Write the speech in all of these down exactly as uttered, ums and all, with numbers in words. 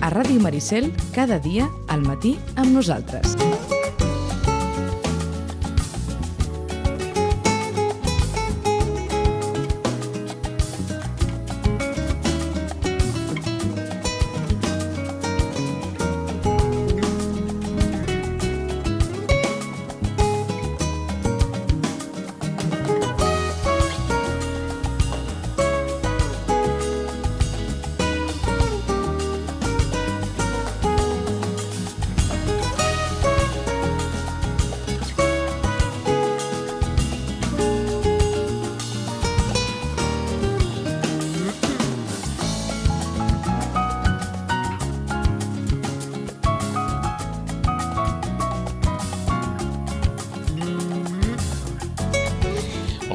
a Ràdio Maricel, cada dia al matí amb nosaltres.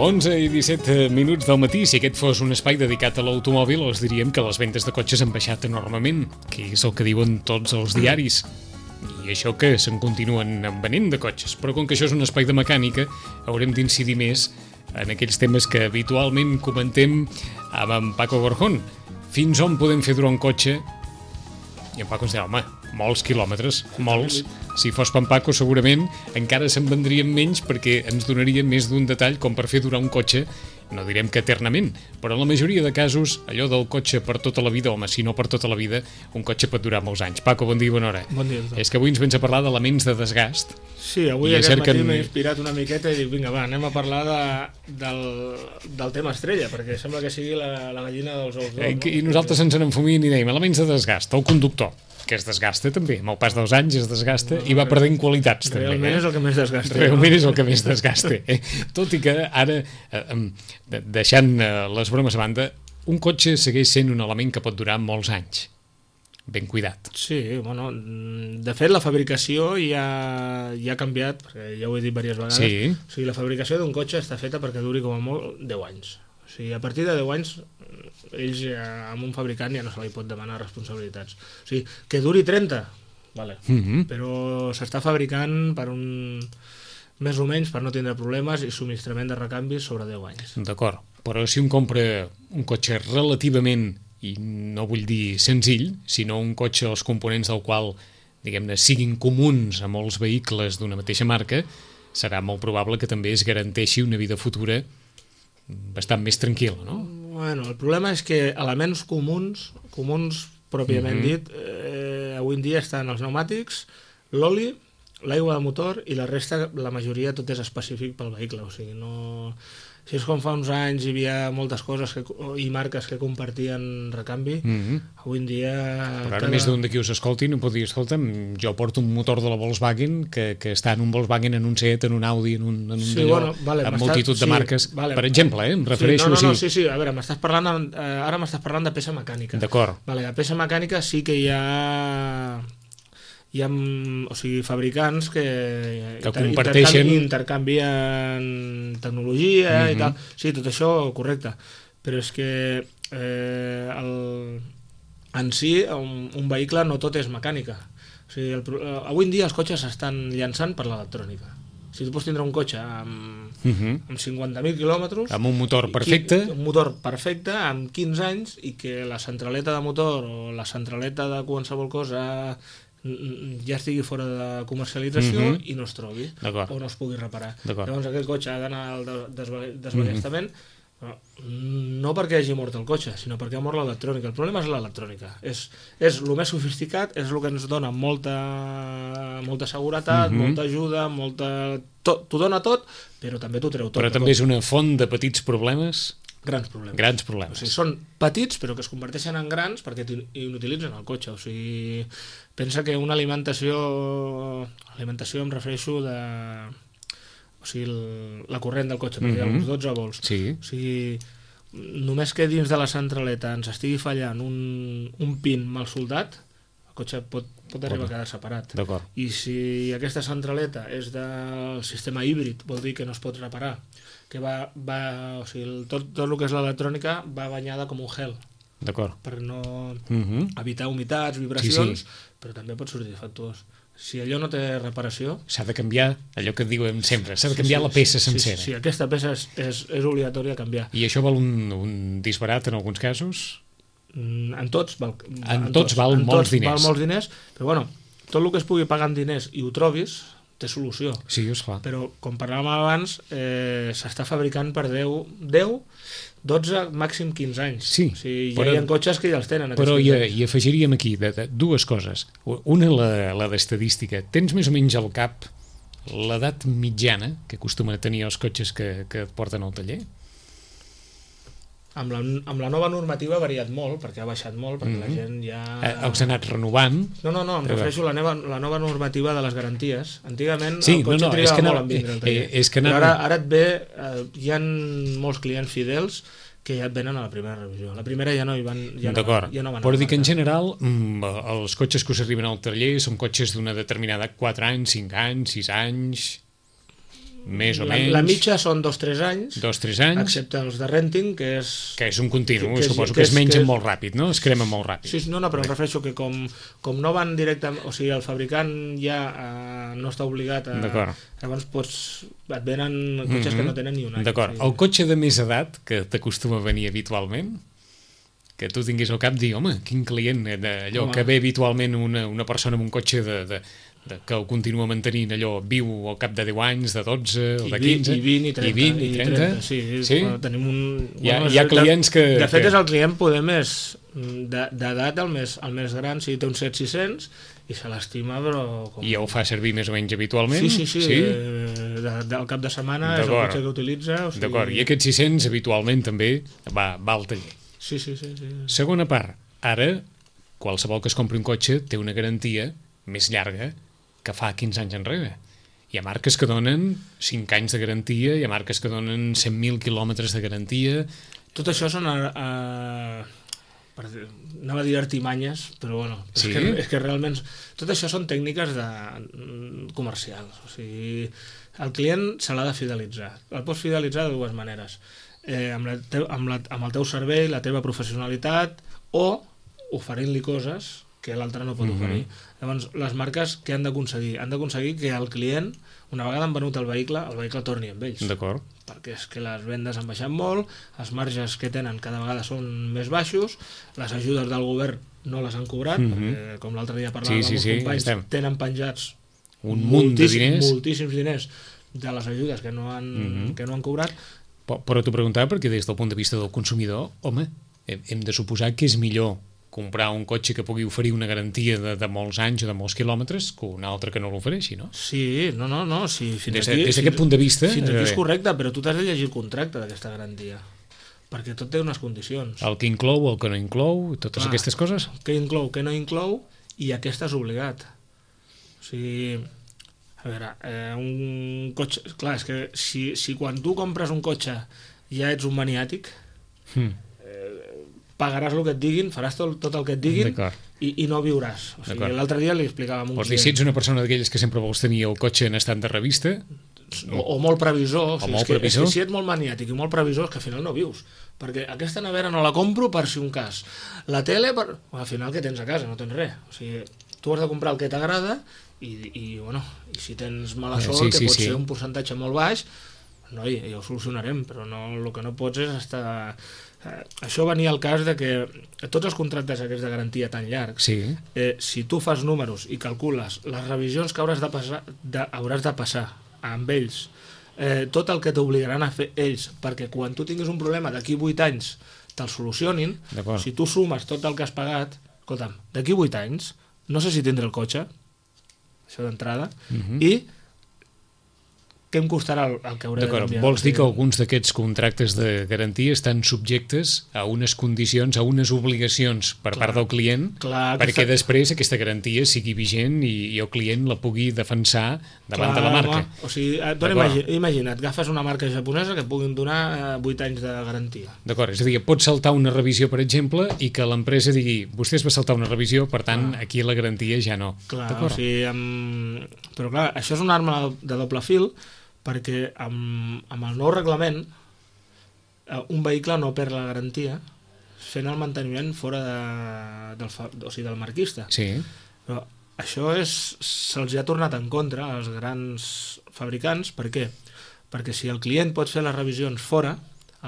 onze i disset minuts del matí. Si aquest fos un espai dedicat a l'automòbil, els diríem que les vendes de cotxes han baixat enormement, que és el que diuen tots els diaris. I això que se'n continuen venent de cotxes. Però com que això és un espai de mecànica, haurem d'incidir més en aquells temes que habitualment comentem amb en Paco Gorjón. Fins on podem fer durar un cotxe? I en Paco ens deia, home, molts quilòmetres, molts. Si fos per en Paco, segurament encara se'n vendrien menys perquè ens donaria més d'un detall com per fer durar un cotxe, no direm que eternament, però en la majoria de casos, allò del cotxe per tota la vida, home, si no per tota la vida, un cotxe pot durar molts anys. Paco, bon dia i bona hora. Bon dia. És que avui ens vens a parlar d'elements de desgast. Sí, avui aquest matí m'he inspirat una miqueta i dic, vinga, va, anem a parlar de, del, del tema estrella, perquè sembla que sigui la, la gallina dels ous d'or. I, no? I nosaltres ens n'enfumim i dèiem, elements de desgast, el conductor, que es desgasta també, amb el pas dels anys es desgasta no, i va perdent qualitats també. Realment eh? és el que més desgasta. Realment no? és el que més desgasta. Eh? Tot i que ara, eh, deixant les bromes a banda, un cotxe segueix sent un element que pot durar molts anys. Ben cuidat. Sí, bueno, de fet la fabricació ja, ja ha canviat, perquè ja ho he dit diverses vegades. Sí. O sigui, la fabricació d'un cotxe està feta perquè duri com a molt deu anys. O sigui, a partir de deu anys, ells ja, amb un fabricant ja no se li pot demanar responsabilitats. O sigui, que duri trenta, vale. Mm-hmm. Però s'està fabricant per un... més o menys per no tindre problemes i subministrament de recanvis sobre deu anys. D'acord, però si un compra un cotxe relativament, i no vull dir senzill, sinó un cotxe els components del qual, diguem-ne, siguin comuns a molts vehicles d'una mateixa marca, serà molt probable que també es garanteixi una vida futura bastant més tranquil·la, no? Bueno, el problema és que elements comuns, comuns pròpiament mm-hmm. dit, eh, avui en dia estan els pneumàtics, l'oli, l'aigua de motor i la resta, la majoria, tot és específic pel vehicle, o sigui, no... Si és com fa uns anys hi havia moltes coses que, i marques que compartien recanvi, mm-hmm. avui en dia... Però ara cada... més d'un d'aquí us escolti no pot dir, escolta'm, jo porto un motor de la Volkswagen que, que està en un Volkswagen, en un Seat, en un Audi, en un, en un sí, d'allò, bueno, vale, amb multitud de sí, marques. Vale. Per exemple, eh, em refereixo... Sí, no, no, no, sí. sí, sí, a veure, m'estàs parlant, eh, ara m'estàs parlant de peça mecànica. D'acord. Vale, de peça mecànica sí que hi ha... hi ha, o sigui, fabricants que, que comparteixen, intercanvien tecnologia mm-hmm. i tal. Sí, tot això correcte. Però és que eh, el, en si un, un vehicle no tot és mecànica. O sigui, el, avui en dia els cotxes s'estan llançant per l'electrònica. Si tu pots tindre un cotxe amb, uh-huh. amb cinquanta mil quilòmetres... Amb un motor perfecte... Un motor perfecte, amb quinze anys, i que la centraleta de motor o la centraleta de qualsevol cosa ja estigui fora de comercialització mm-hmm. i no es trobi, o no es pugui reparar. Llavors aquest cotxe ha d'anar al desballestament, mm-hmm. no perquè hagi mort el cotxe, sinó perquè ha mort l'electrònica. El problema és l'electrònica. És, és el més sofisticat, és el que ens dona molta, molta seguretat, mm-hmm. molta ajuda, molta... t'ho dona tot, però també t'ho treu tot. Però també és una font de petits problemes... Grans problemes. Grans problemes. O sigui, són petits, però que es converteixen en grans perquè inutilitzen el cotxe. O sigui, pensa que una alimentació... Alimentació em refereixo de... O sigui, el, la corrent del cotxe, perquè mm-hmm. hi ha uns dotze volts. Sí. O sigui, només que dins de la centraleta ens estigui fallant un, un pin mal soldat, el cotxe pot, pot arribar a quedar separat. D'acord. I si aquesta centraleta és del sistema híbrid, vol dir que no es pot reparar, que va, va o sigui, tot, tot el que és l'electrònica va banyada com un gel. D'acord. Per no uh-huh. evitar humitats, vibracions, sí, sí. però també pot sortir defectuós. Si allò no té reparació... S'ha de canviar, allò que et diuen sempre, s'ha de canviar sí, sí, la peça sí, sencera. Sí, sí, aquesta peça és, és, és obligatòria canviar. I això val un, un disbarat en alguns casos? En tots val, en, en tots val en molts tots diners. Val molts diners, però bueno, tot el que es pugui pagar en diners i ho trobis, té solució. Sí, esclar. Però, com parlàvem abans, eh, s'està fabricant per deu, deu, dotze, màxim quinze anys. Sí, o sigui, ja però, hi ha cotxes que ja els tenen. Però hi, hi afegiríem aquí de, de, dues coses. Una, la, la d'estadística. Tens més o menys al cap l'edat mitjana que acostumen a tenir els cotxes que, que et porten al taller? Amb la, amb la nova normativa ha variat molt, perquè ha baixat molt, perquè mm-hmm. la gent ja... Eh, els ha anat renovant. No, no, no, em refereixo a la nova, la nova normativa de les garanties. Antigament sí, el cotxe no, no, trigava no, molt en vindre al taller. Eh, és que anava... Però ara, ara et ve... Eh, hi ha molts clients fidels que ja et venen a la primera revisió. La primera ja no hi van... Ja D'acord, no, ja no van però dir que en general els cotxes que us arriben al taller són cotxes d'una determinada quatre anys, cinc anys, sis anys... més o la, menys... La mitja són dos o tres anys, dos o tres anys, excepte els de renting, que és... Que és un continu, que, que suposo que que, que es mengen que és... molt ràpid, no? Es cremen molt ràpid. Sí, no, no, però em refereixo que com, com no van directament... O sigui, el fabricant ja eh, no està obligat a... D'acord. Llavors pots, et venen cotxes mm-hmm. que no tenen ni un any. D'acord. O sigui... El cotxe de més edat, que t'acostuma a venir habitualment, que tu tinguis al cap dir, home, quin client, allò home. Que ve habitualment una, una persona amb un cotxe de... de de, que el continua mantenint allò viu al cap de deu anys, de dotze o de quinze i vint i trenta, i vint, i trenta. trenta sí, sí? Bueno, tenim un, hi ha, bueno, hi ha clients que... De fet que... és el client poder més d'edat el més, el més gran, si té un set sis cents i se l'estima, però... Com... I el fa servir més o menys habitualment? Sí, sí, sí, sí? De, de, del cap de setmana és el cotxe que utilitza. O sigui... D'acord, i aquests sis cents habitualment també va, va al taller. Sí, sí, sí, sí. Segona part, ara qualsevol que es compri un cotxe té una garantia més llarga que fa quinze anys enrere. Hi ha marques que donen cinc anys de garantia, hi ha marques que donen cent mil quilòmetres de garantia... Tot això són... Uh, per, anava a dir artimanyes, però bueno, sí? és, que, és que realment... Tot això són tècniques de, comercials. O sigui, el client se l'ha de fidelitzar. El pots fidelitzar de dues maneres. Eh, amb, la te, amb, la, amb el teu servei, la teva professionalitat, o oferint-li coses que l'altre no pot mm-hmm. oferir. Llavors, les marques què han d'aconseguir? Han d'aconseguir que el client, una vegada han venut el vehicle, el vehicle torni amb ells. D'acord. Perquè és que les vendes han baixat molt, els marges que tenen cada vegada són més baixos, les ajudes del govern no les han cobrat, mm-hmm. perquè, com l'altre dia parlàvem sí, sí, amb els sí, companys, estem. Tenen penjats un munt de diners. moltíssims diners de les ajudes que no han, mm-hmm. que no han cobrat. Però, però t'ho preguntava perquè des del punt de vista del consumidor, home, hem, hem de suposar que és millor comprar un cotxe que pugui oferir una garantia de, de molts anys o de molts quilòmetres que un altre que no l'ofereixi, no? Sí, no, no, no. Sí, fins des, aquí, des d'aquest punt de vista... Fins aquí és correcte, però tu t'has de llegir el contracte d'aquesta garantia, perquè tot té unes condicions. El que inclou, el que no inclou, totes Clar, aquestes coses? Què inclou, què no inclou, i aquesta és obligat. O sigui... A veure, eh, un cotxe... Clar, és que si, si quan tu compres un cotxe ja ets un maniàtic... Hmm. pagaràs el que et diguin, faràs tot, tot el que et diguin i, i no viuràs. O sigui, l'altre dia li explicàvem un client... Vols dir, si ets una persona d'aquelles que sempre vols tenir el cotxe en estat de revista... O, o molt previsor. O, o sigui, molt és que, previsor. És que si ets molt maniàtic i molt previsor, és que al final no vius. Perquè aquesta nevera no la compro per si un cas. La tele, per... al final què tens a casa? No tens res. O sigui, tu has de comprar el que t'agrada i, i, bueno, i si tens mala sort, sí, sí, que pot sí. ser un percentatge molt baix, noi, ja ho solucionarem, però no, el que no pots és estar... Eh, això venia al cas de que tots els contractes aquests de garantia tan llargs, sí. eh, si tu fas números i calcules les revisions que hauràs de passar, de, hauràs de passar amb ells, eh, tot el que t'obligaran a fer ells, perquè quan tu tinguis un problema d'aquí vuit anys te'l solucionin, si tu sumes tot el que has pagat, escolta'm, d'aquí vuit anys no sé si tindré el cotxe, això d'entrada, uh-huh. i què em costarà el, el que hauré D'acord, de canviar. Vols dir que alguns d'aquests contractes de garantia estan subjectes a unes condicions, a unes obligacions per clar, part del client, clar, perquè aquesta... després aquesta garantia sigui vigent i, i el client la pugui defensar davant clar, de la marca. Home, o sigui, imagina't, imagina't, agafes una marca japonesa que puguin donar vuit anys de garantia. D'acord, és a dir, pots saltar una revisió, per exemple, i que l'empresa digui, vostès va saltar una revisió, per tant, clar. Aquí la garantia ja no. Clar, o sigui, amb... però clar, això és una arma de doble fil, perquè amb, amb el nou reglament un vehicle no perd la garantia fent el manteniment fora de, del, o sigui, del marquista. Sí. Però això és, se'ls ha tornat en contra als grans fabricants. Per què? Perquè si el client pot fer les revisions fora,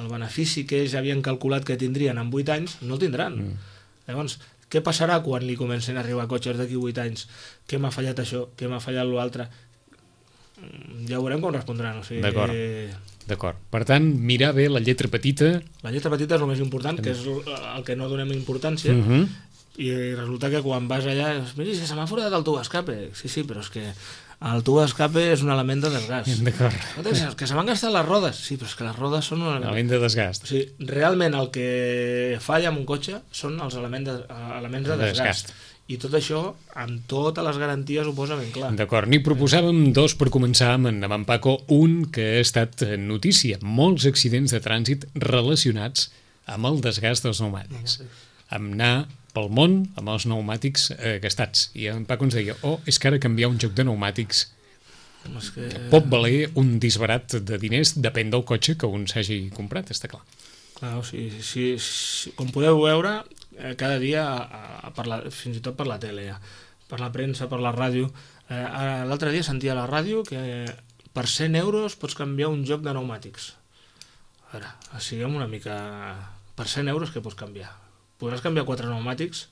el benefici que ells havien calculat que tindrien en vuit anys no el tindran. Mm. Llavors, què passarà quan li comencin a arribar cotxes d'aquí vuit anys? Què m'ha fallat això? Què m'ha fallat l'altre? Ja veurem com respondran. O sigui, d'acord, d'acord. Per tant, mirar bé la lletra petita. La lletra petita és el més important, que és el que no donem importància, uh-huh. i resulta que quan vas allà, mira, se m'ha forat el tub escape. Sí, sí, però és que el tub escape és un element de desgast. D'acord. Que se m'han gastat les rodes. Sí, però és que les rodes són un element, element de desgast. O sigui, realment el que falla amb un cotxe són els elements de, elements de desgast. desgast. I tot això, amb totes les garanties, ho posa ben clar. D'acord, n'hi proposàvem dos per començar amb en, amb en Paco. Un que ha estat notícia, molts accidents de trànsit relacionats amb el desgast dels pneumàtics. Amb anar pel món amb els pneumàtics eh, gastats. I en Paco ens deia, oh, és que ara canviar un joc de pneumàtics que... pot valer un disbarat de diners, depèn del cotxe que un s'hagi comprat, està clar. Clar, o sigui, si, si, com podeu veure, cada dia, a, a, per la, fins i tot per la tele, ja, per la premsa, per la ràdio. Eh, L'altre dia sentia a la ràdio que per cent euros pots canviar un joc de pneumàtics. A veure, siguem una mica... Per cent euros què pots canviar? Podràs canviar quatre pneumàtics?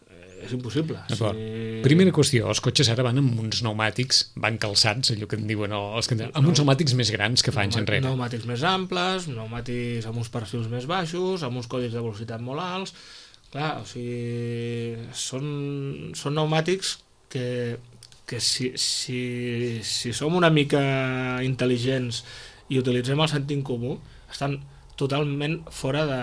Eh, és impossible. Si... Primera qüestió, els cotxes ara van amb uns pneumàtics, van calçats, allò que en diuen els que... amb uns pneumàtics més grans que fa anys enrere. Pneumàtics més amples, pneumàtics amb uns perfils més baixos, amb uns codis de velocitat molt alts. Clar, o sigui, són, són pneumàtics que, que si, si, si som una mica intel·ligents i utilitzem el sentit comú, estan totalment fora de,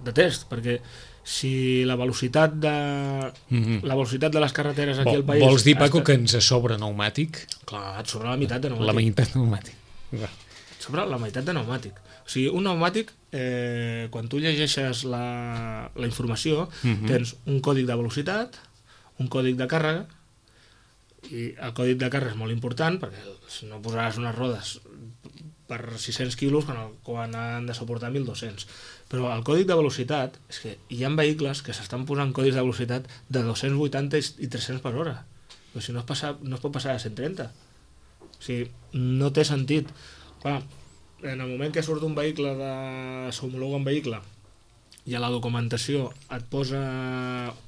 de test, perquè si la velocitat de mm-hmm. la velocitat de les carreteres aquí al país... Vols dir, Paco, que ens sobra pneumàtic? Clar, et sobra la meitat de pneumàtic. La meitat de pneumàtic. Et sobra la meitat de pneumàtic. O sigui, un pneumàtic, eh, quan tu llegeixes la, la informació, uh-huh. tens un còdic de velocitat, un còdic de càrrega, i el còdic de càrrega és molt important, perquè si no posaràs unes rodes per sis-cents quilos quan, el, quan han de suportar mil dos-cents. Però el còdic de velocitat, és que hi ha vehicles que s'estan posant codis de velocitat de dos-cents vuitanta i tres-cents per hora. Però si no es, passa, no es pot passar a cent trenta. O sigui, no té sentit. Clar, en el moment que surt un vehicle, de s'homologa un vehicle, i a la documentació et posa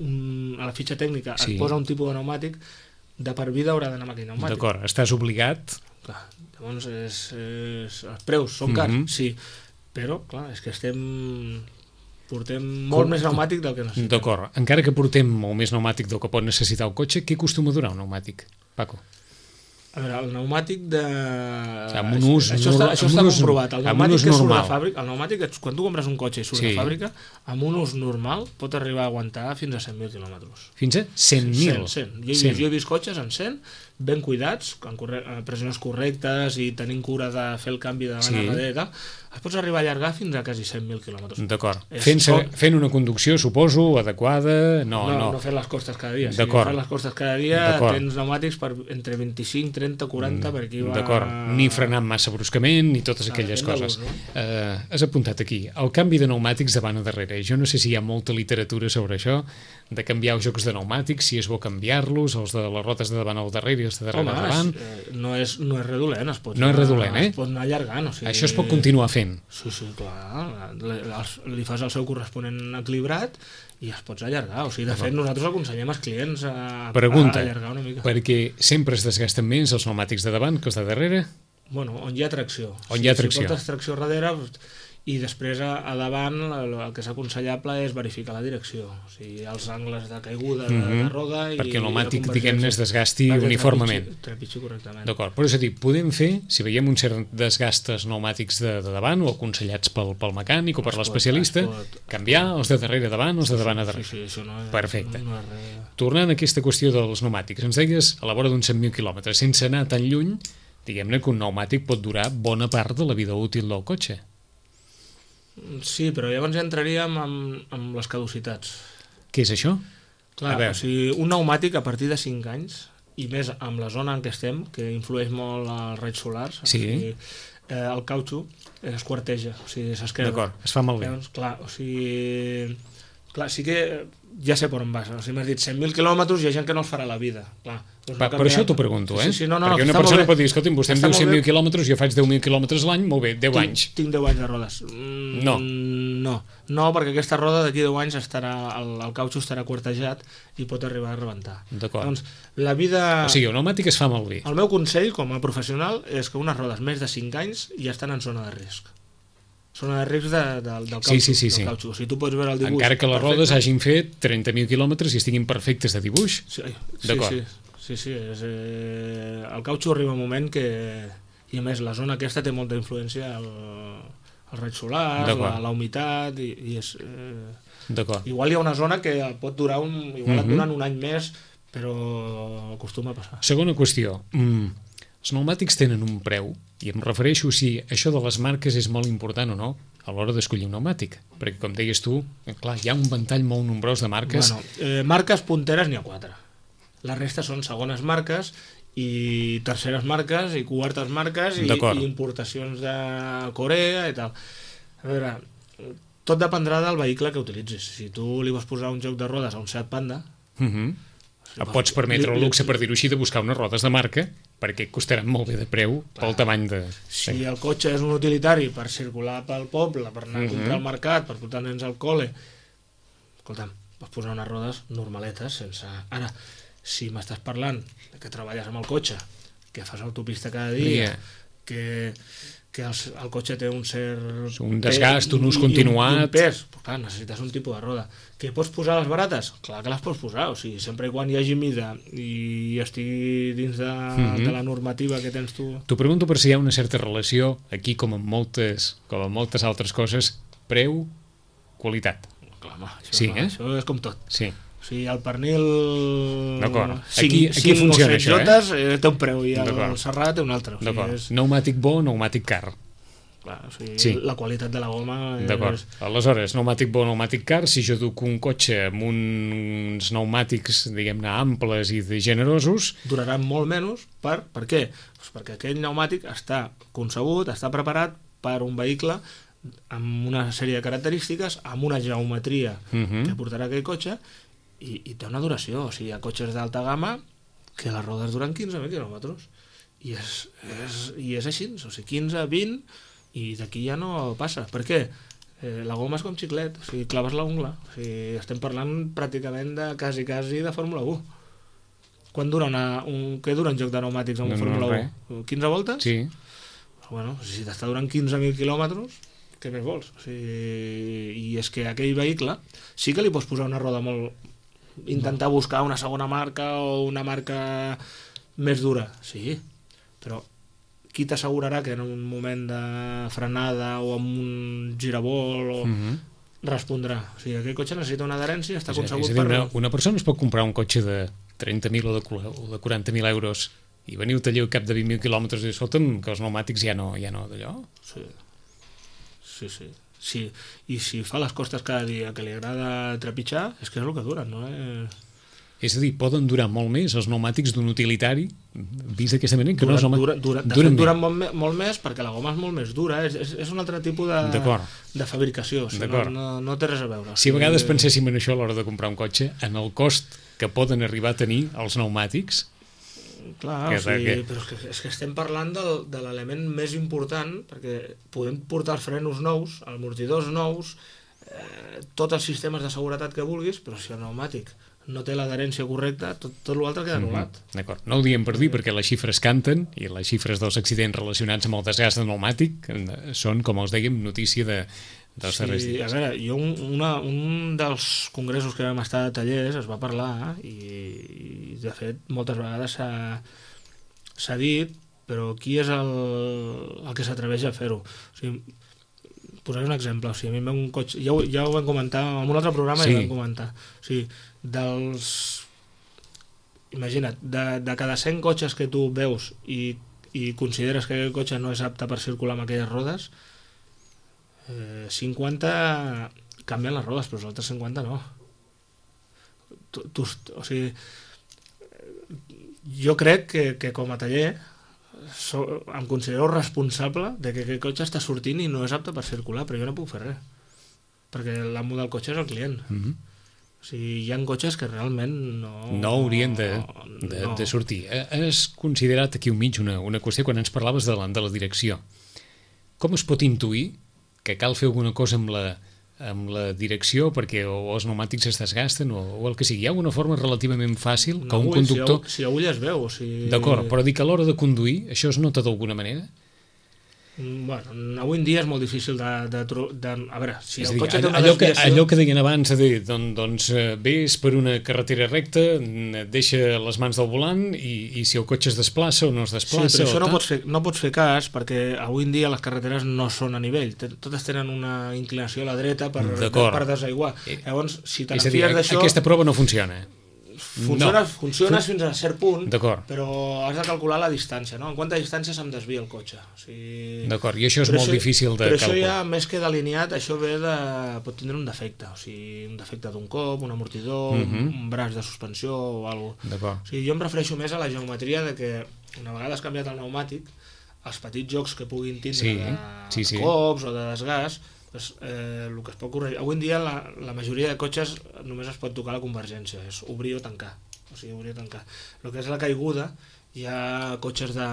un, a la fitxa tècnica sí. et posa un tipus de pneumàtic, de per vida haurà d'anar amb aquell pneumàtic. D'acord, estàs obligat. Clar, llavors és, és, els preus són cars, mm-hmm. sí, però clar, és que estem portem molt com, més pneumàtic del que necessitem. D'acord, encara que portem molt més pneumàtic del que pot necessitar el cotxe, què acostuma a durar un pneumàtic, Paco? A veure, el pneumàtic de... O sigui, amb un ús... Això, està, això està comprovat. El pneumàtic que surt de fàbrica, el pneumàtic, quan tu compres un cotxe i surt sí. de fàbrica, amb un ús normal pot arribar a aguantar fins a cent mil quilòmetres. Fins a cent mil? cent, cent. Jo, cent. jo he vist cotxes en cent, ben cuidats, amb corre... pressions correctes i tenint cura de fer el canvi de sí. darrere i tal, es pots arribar a allargar fins a quasi cent mil quilòmetres. D'acord. Fent, com... fent una conducció, suposo, adequada... No, no, no. no fent les costes cada dia. Si fent les costes cada dia tens pneumàtics per entre vint-i-cinc, trenta, quaranta per aquí va... D'acord, ni frenant massa bruscament ni totes aquelles ah, coses. No? Uh, has apuntat aquí, el canvi de pneumàtics davant a darrere. Jo no sé si hi ha molta literatura sobre això, de canviar els jocs de pneumàtics, si és bo canviar-los, els de les rotes de davant al darrere i els de darrere Home, al davant. És, eh, no, és, no és redolent, es pot, no és redolent, eh? es pot anar allargant. O sigui... Això es pot continuar fent. Sí, sí, clar. Li fas el seu corresponent equilibrat i es pots allargar. O sigui, de fet, nosaltres aconsellem als clients a, Pregunta, a allargar una mica. Perquè sempre es desgasten més els pneumàtics de davant que els de darrere? Bueno, on hi ha tracció. On hi ha tracció. Si portes tracció darrere... I després a, a davant el, el que és aconsellable és verificar la direcció, o sigui, els angles de caiguda de, mm-hmm. de roda i perquè el pneumàtic, diguem-ne, es desgasti uniformement. Trepitgi correctament. D'acord, però és a dir, podem fer, si veiem un cert desgast dels pneumàtics de, de davant o aconsellats pel, pel mecànic o per l'especialista, canviar els de darrere davant o els de davant a darrere. Sí, sí, això no és, perfecte. No és res. Tornant a aquesta qüestió dels pneumàtics, ens deies a la vora d'uns cent mil quilòmetres, sense anar tan lluny, diguem-ne que un pneumàtic pot durar bona part de la vida útil del cotxe. Sí, però llavors ja entraríem amb, amb les caducitats. Què és això? Clar, o sigui, un pneumàtic a partir de cinc anys, i més amb la zona en què estem, que influeix molt als raigs solars, sí. o sigui, eh, el cautxú es quarteja, o sigui, s'esquerda. D'acord, es fa malbé. Llavors, clar, o sigui... Clar, sí que ja sé per on vas. Si m'has dit cent mil quilòmetres, hi ha gent que no els farà la vida. Clar, doncs Va, no per això t'ho pregunto, eh? Sí, sí, no, no, perquè no, una persona pot dir, escolta, vostè em diu cent mil quilòmetres, jo faig deu mil quilòmetres l'any, molt bé, deu tinc, anys. Tinc deu anys de rodes. Mm, no. No, no, perquè aquesta roda d'aquí deu anys estarà, el, el cautxo estarà quartejat i pot arribar a rebentar. D'acord. Doncs la vida... O sigui, el pneumàtic es fa malbé. El meu consell, com a professional, és que unes rodes més de cinc anys ja estan en zona de risc. Zona de risc de, de, del cautxo. Sí, sí, sí, sí. O sigui, tu pots veure el dibuix... Encara que les perfecte. rodes hagin fet trenta mil quilòmetres i estiguin perfectes de dibuix. Sí, sí, sí, sí, sí és, eh, el cautxo arriba un moment que... I a més, la zona aquesta té molta influència al, al raig solar, la, la humitat, i, i és... Eh, D'acord. Igual hi ha una zona que pot durar un... Igual et duren un any més, però acostuma a passar. Segona qüestió. Mm, els pneumàtics tenen un preu, i em refereixo si això de les marques és molt important o no a l'hora d'escollir un pneumàtic. Perquè, com deies tu, clar, hi ha un ventall molt nombrós de marques. Bueno, eh, marques punteres n'hi ha quatre. La resta són segones marques i terceres marques i quartes marques i, i importacions de Corea i tal. A veure, tot dependrà del vehicle que utilitzis. Si tu li vols posar un joc de rodes a un Seat Panda, uh -huh. si pots permetre el luxe, per dir-ho així, de buscar unes rodes de marca perquè costaran molt bé de preu pel tamany de... Si el cotxe és un utilitari per circular pel poble, per anar uh -huh. a comprar al mercat, per portar nens al col·le, escolta'm, pots posar unes rodes normaletes sense... Ara, si m'estàs parlant que treballes amb el cotxe, que fas autopista cada dia, yeah. que, que el, el cotxe té un cert... Un desgast, un ús continuat... I un, i un pes, pues clar, necessites un tipus de roda. Que pots posar les barates? Clar que les pots posar, o sigui, sempre i quan hi hagi mida i estigui dins de, mm-hmm. de la normativa que tens tu... T'ho pregunto per si hi ha una certa relació, aquí com en moltes, com en moltes altres coses, preu-qualitat. Clar, home, això, sí, eh? això és com tot. Sí. O sigui, el pernil aquí, aquí funciona això, jotes, eh? té un preu i el Serrat té un altre. O sigui, és... Pneumàtic bo, pneumàtic car. Clar, o sigui, sí. La qualitat de la goma... És... D'acord. Aleshores, pneumàtic bo, pneumàtic car, si jo duc un cotxe amb uns pneumàtics, diguem-ne, amples i de generosos... Duraran molt menys. Per, per què? Pues perquè aquell pneumàtic està concebut, està preparat per un vehicle amb una sèrie de característiques, amb una geometria uh-huh. que portarà aquell cotxe, I, i té una duració. O sigui, hi ha cotxes d'alta gamma que les rodes duren quinze mil quilòmetres i és, és, i és així, o sigui, quinze, vint i d'aquí ja no passa. Per què? Eh, la goma és com xiclet, o sigui, claves la ungla, o sigui, estem parlant pràcticament de quasi quasi de Fórmula u. Quan dura una, un, què dura un joc de pneumàtics amb no, Fórmula no, u? quinze voltes? Sí. Bueno, si t'està durant quinze mil quilòmetres, què més vols? O sigui, i és que aquell vehicle sí que li pots posar una roda molt... intentar buscar una segona marca o una marca més dura, sí, però qui t'assegurarà que en un moment de frenada o amb un giravolt o uh-huh. respondrà? O sigui, aquell cotxe necessita una adherència, està concebut per... Una, una persona es pot comprar un cotxe de trenta mil o de, o de quaranta mil euros i venir al taller al cap de vint mil quilòmetres i dir, escolta'm, que els pneumàtics ja no, ja no d'allò? Sí, sí, sí. Sí, i si fa les costes cada dia que li agrada trepitjar, és que és el que duren, no? Eh... És a dir, poden durar molt més els pneumàtics d'un utilitari, vist d'aquesta manera, que duren, no és home... Dura, dura, de fet, duren molt, molt més perquè la goma és molt més dura, és, és, és un altre tipus de, de fabricació, o sigui, no, no, no té res a veure. Si a vegades penséssim en això a l'hora de comprar un cotxe, en el cost que poden arribar a tenir els pneumàtics... Clar, o sigui, que... però és que, és que estem parlant del, de l'element més important, perquè podem portar els frenos nous, amortidors nous, eh, tots els sistemes de seguretat que vulguis, però si el pneumàtic no té l'adherència correcta, tot, tot l'altre queda anul·lat. Mm-hmm. D'acord, no ho diem per dir perquè les xifres canten i les xifres dels accidents relacionats amb el desgast del pneumàtic són, com els dèiem, notícia de, dels darrers sí, dies. A veure, jo un, una, un dels congressos que vam estar a tallers es va parlar i, i de fet moltes vegades s'ha dit, però qui és el, el que s'atreveix a fer-ho? O sigui, posaré un exemple, o sigui, a mi em ve un cotxe, ja ho, ja ho vam comentar, en un altre programa sí. Ja ho vam comentar, o sigui, dels... Imagina't, de, de cada cent cotxes que tu veus i, i consideres que aquell cotxe no és apte per circular amb aquelles rodes, eh, cinquanta canvien les rodes, però els altres cinquanta no. Tu, tu, o sigui, jo crec que, que com a taller so, em considero responsable de que aquest cotxe està sortint i no és apte per circular, però jo no puc fer res, perquè l'amo del cotxe és el client. Mm-hmm. O O sigui, hi ha cotxes que realment no... No haurien de, de, no. de sortir. Has considerat aquí un mig una, una qüestió quan ens parlaves de la, de la direcció. Com es pot intuir que cal fer alguna cosa amb la, amb la direcció perquè o els pneumàtics es desgasten o, o el que sigui? Hi ha una forma relativament fàcil que un conductor... Si a ull es veu, o sigui... D'acord, però dic que a l'hora de conduir això es nota d'alguna manera? Bueno, avui en dia és molt difícil de... de, de a veure, si el dir, cotxe té una allò desviació... Que, allò que deien abans, de dir, doncs, doncs ves per una carretera recta, deixa les mans del volant i, i si el cotxe es desplaça o no es desplaça... Sí, però això no pots, fer, no pots fer cas perquè avui en dia les carreteres no són a nivell, totes tenen una inclinació a la dreta per, per desaiguar. Llavors, si te n'enfies d'això... Aquesta prova no funciona. Funciona, no. funciona fins a cert punt, però has de calcular la distància, no? En quanta distància se'm desvia el cotxe. O sigui... D'acord, i això és però molt això, difícil de però calcular. Però això ja, més que delineat, això ve de... pot tindre un defecte, o sigui, un defecte d'un cop, un amortidor, uh -huh. un braç de suspensió o alguna cosa. O sigui, jo em refereixo més a la geometria de que una vegada has canviat el pneumàtic, els petits jocs que puguin tindre sí, de, sí, sí. de cops o de desgast, pues, eh, el que es pot corregir. Avui en dia la, la majoria de cotxes només es pot tocar la convergència, és obrir o tancar. O sigui, obrir o tancar. El que és la caiguda, hi ha cotxes de...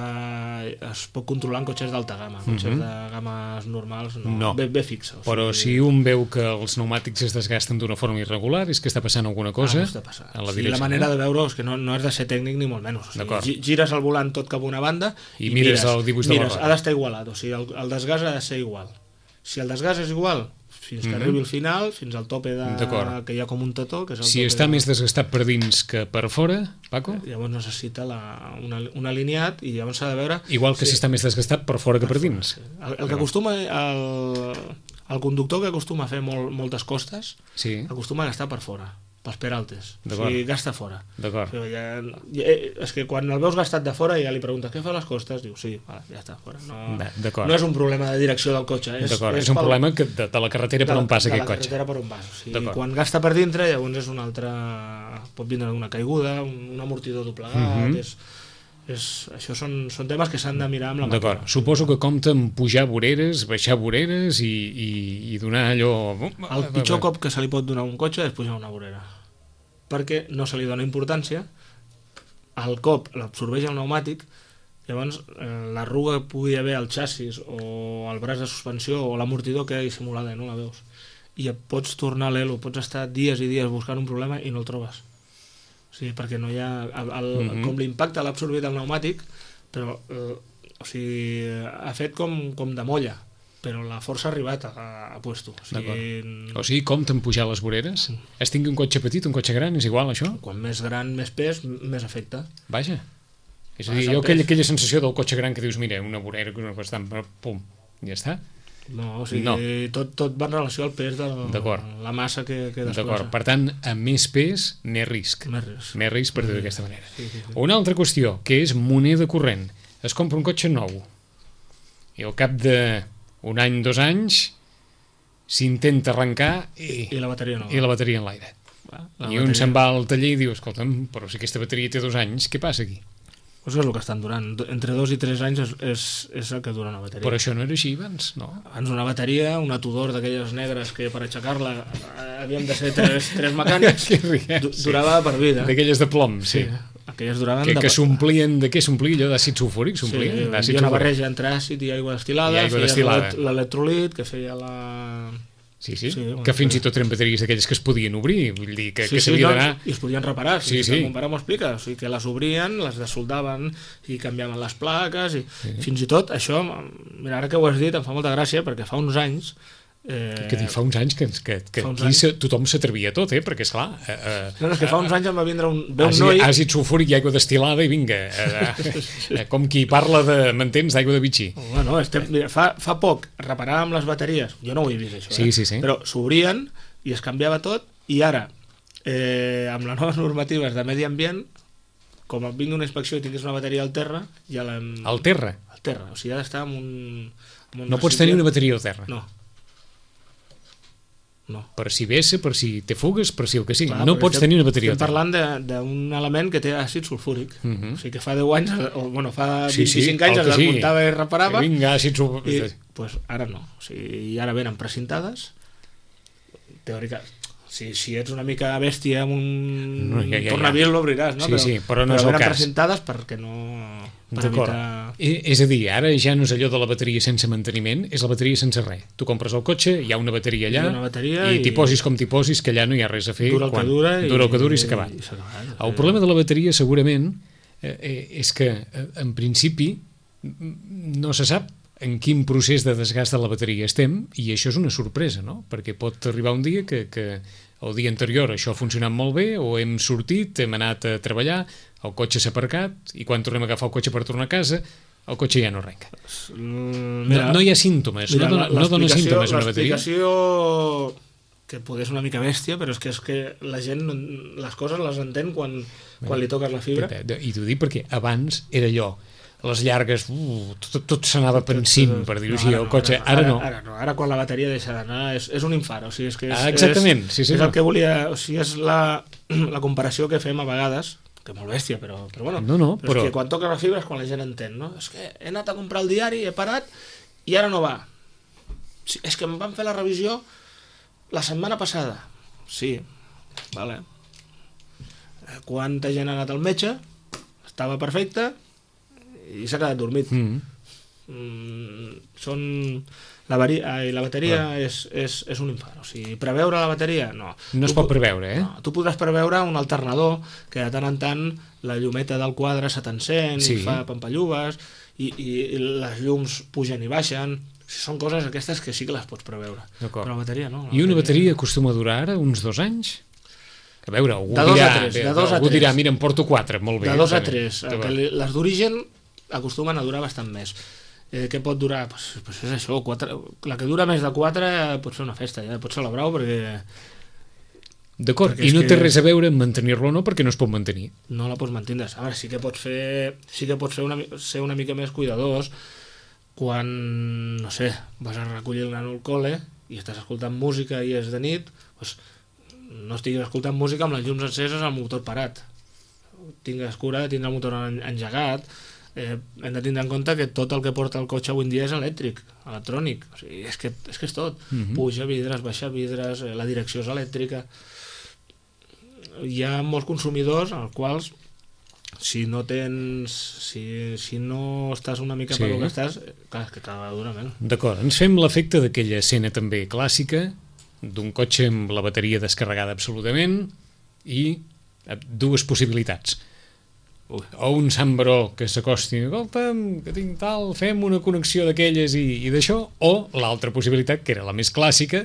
es pot controlar en cotxes d'alta gamma, cotxes uh -huh. de games normals no, no. bé, bé fixa. O sigui, però si un veu que els pneumàtics es desgasten d'una forma irregular, és que està passant alguna cosa ah, no està passant. En la, o sigui, la manera de veure és que no, no has de ser tècnic ni molt menys. O sigui, gires el volant tot cap a una banda i, i mires, mires el dibuix de mires, la roda. Ha d'estar igualat, o sigui, el, el desgast ha de ser igual. Si el desgast és igual, fins que mm -hmm. arribi al final, fins al tope de... que hi ha com un tató, que és el si tope està de... més desgastat per dins que per fora, Paco? Llavors necessita la, una, un alineat i llavors s'ha de veure... Igual que sí. si està més desgastat per fora que per, per dins. Fora, sí. El, el que acostuma... El, el conductor que acostuma a fer molt, moltes costes sí. acostuma a gastar per fora, pels peraltes. O sigui, gasta fora. D'acord. O sigui, ja, ja, és que quan el veus gastat de fora ja li preguntes què fa les costes, diu sí, vale, ja està fora. No, no és un problema de direcció del cotxe. És, és, és un pel, problema que de, de la carretera per on passa aquest cotxe. De la carretera per on vas. O sigui, quan gasta per dintre, llavors és un altre... pot vindre una caiguda, un, un amortidor doblegat... Uh -huh. és, és, això són, són temes que s'han de mirar amb la màquina. D'acord. Suposo que compta amb pujar voreres, baixar voreres i, i, i donar allò... El pitjor cop que se li pot donar a un cotxe és pujar una vorera, perquè no se li dona importància, el cop l'absorbeix el pneumàtic, llavors eh, l'arruga que pugui haver al xassis o el braç de suspensió o l'amortidor queda dissimulada i no la veus. I et pots tornar a l'elo, pots estar dies i dies buscant un problema i no el trobes. O sigui, perquè no hi ha... El, el, mm-hmm. Com l'impacte l'ha absorbit el pneumàtic, però eh, o sigui, ha fet com, com de molla, però la força ha arribat a, a puesto. O sigui, o sigui, compta amb pujar les voreres? Mm. Es tingui un cotxe petit, un cotxe gran, és igual això? Quan més gran, més pes, més efecte. Vaja. És a dir, jo aquella, aquella sensació del cotxe gran que dius, mira, una vorera, una bastant, pum, ja està. No, o sigui, no. Tot, tot va en relació al pes de la massa que, que desplaça. D'acord, per tant, amb més pes, més risc. Més risc. Més risc per dir d'aquesta manera. Sí, sí, sí. Una altra qüestió, que és moneda corrent. Es compra un cotxe nou i al cap de un any, dos anys, s'intenta arrencar i, I la bateria no. I la bateria en l'aire. I bateria... un se'n va al taller i diu, escolta'm, però si aquesta bateria té dos anys, què passa aquí? Pues és el que estan durant. Entre dos i tres anys és, és, és el que dura una bateria. Però això no era així abans, no? Abans una bateria, una Tudor d'aquelles negres que per aixecar-la havíem de ser tres, tres mecànics, durava per vida. D'aquelles de plom, sí. sí. Aquelles duraven que, de... que s'omplien, de què s'omplia allò? D'àcid sulfúric? S'omplien? Sí, hi havia una barreja entre àcid i aigua destil·lada, feia l'electrolit, que feia la... Sí, sí, sí, que fins i tot eren bateries d'aquelles que es podien obrir, vull dir, que, sí, que s'havia sí, d'anar... No, i es podien reparar, sí, sí, sí. Mon pare m'ho explica, o sigui, que les obrien, les desoldaven i canviaven les plaques, i sí. Fins i tot això, mira, ara que ho has dit, em fa molta gràcia, perquè fa uns anys... Eh... Que dic, fa uns anys que, que, que aquí anys... tothom s'atrevia tot, eh? Perquè, esclar... Eh, eh, no, no, és que fa uns anys em va vindre un, ve un àcid, noi... Àcid sulfúric i aigua destil·lada i vinga, eh, eh, com qui parla de, m'entens, d'aigua de bitxí. Bueno, estem, mira, fa, fa poc reparàvem les bateries, jo no ho he vist això, sí, eh? sí, sí. Però s'obrien i es canviava tot, i ara, eh, amb les noves normatives de medi ambient, com et vingui una inspecció i tinguis una bateria al terra, ja l'hem... Al terra? Al terra, o sigui, ha d'estar amb un... Amb un no pots tenir una bateria al terra? No. No. Per si vessa, per si te fugues, per si el que sigui. Clar, no pots estem, tenir una bateria. Estem parlant d'un element que té àcid sulfúric. Uh -huh. O sigui que fa deu anys, o bueno, fa sí, vint-i-cinc sí, anys es desmuntava sí. i reparava. Que vinga, àcid sulfúric. I pues, ara no. O sigui, i ara venen precintades, teòrica, Si, si ets una mica bèstia amb un no, ja, ja, tornavís ja. L'obriràs, no? Sí, però, sí, però no però és el cas. presentades perquè no... Per evitar... És a dir, ara ja no és allò de la bateria sense manteniment, és la bateria sense res. Tu compres el cotxe, hi ha una bateria allà, una bateria i, i t'hi posis com t'hi posis, que allà no hi ha res a fer. Dura el quan, que dura, dura el que dura i, i s'ha acabat. I acabat. El problema de la bateria, segurament, eh, és que, en principi, no se sap en quin procés de desgast de la bateria estem, i això és una sorpresa, no? Perquè pot arribar un dia que... que el dia anterior això ha funcionat molt bé, o hem sortit, hem anat a treballar, el cotxe s'ha aparcat, i quan tornem a agafar el cotxe per tornar a casa, el cotxe ja no arrenca. Mira, no, no hi ha símptomes, mira, no, dona, no dona símptomes una bateria. L'explicació, que poder ser una mica bèstia, però és que, és que la gent les coses les entén quan, quan li toques la fibra. I t'ho dic perquè abans era allò, les llargues, uh, tot, tot s'anava pensint, per dir-ho així, el cotxe, ara no. Ara no, ara quan la bateria deixa d'anar és, és un infart, o sigui, és que és, ah, exactament, sí, sí, és no. el que volia, o sigui, és la, la comparació que fem a vegades, que molt bèstia, però, però bueno, no, no, però, però... és que quan toques la fibra és quan la gent entén, no? És que he anat a comprar el diari, he parat, i ara no va. Sí, és que em van fer la revisió la setmana passada. Sí, vale. Quanta gent ha anat al metge, estava perfecte, i s'ha quedat dormit. Mm. Mm, són... La, vari... Ai, la bateria ah. és, és, és un infart. O sigui, preveure la bateria, no. No es pot preveure, eh? No. Tu podràs preveure un alternador que de tant en tant la llumeta del quadre se t'encén, sí. fa pampallugues, i, i, i les llums pugen i baixen. Són coses aquestes que sí que les pots preveure. Però la bateria no. La I una bateria... bateria acostuma a durar ara uns dos anys? A veure, algú de dos dirà, a tres, de dos algú a tres. dirà, mira, em porto quatre, molt bé. De dos a tres. Les d'origen acostumen a durar bastant més. Eh, què pot durar? Pues, pues és això, quatre, la que dura més de quatre pot ser una festa, ja pot celebrar-ho perquè... D'acord, i no té res a veure amb mantenir-lo o no, perquè no es pot mantenir. No la pots mantenir. A veure, sí que pots fer, sí que pots fer una, ser una mica més cuidadós quan, no sé, vas a recollir el nano al col·le i estàs escoltant música i és de nit, doncs no estiguis escoltant música amb les llums enceses al motor parat. Tingues cura de tindre el motor engegat. Eh, hem de tindre en compte que tot el que porta el cotxe avui en dia és elèctric, electrònic, o sigui, és, que, és que és tot. Mm-hmm. Puja vidres, baixa vidres, eh, la direcció és elèctrica. Hi ha molts consumidors als quals si no tens si, si no estàs una mica sí. per el que estàs, clar, és que cada vegada dura menys. D'acord, ens fem l'efecte d'aquella escena també clàssica d'un cotxe amb la bateria descarregada absolutament i dues possibilitats. Ui. O un Sant Baró que s'acosti, escolta'm, que tinc tal, fem una connexió d'aquelles i, i d'això, o l'altra possibilitat, que era la més clàssica,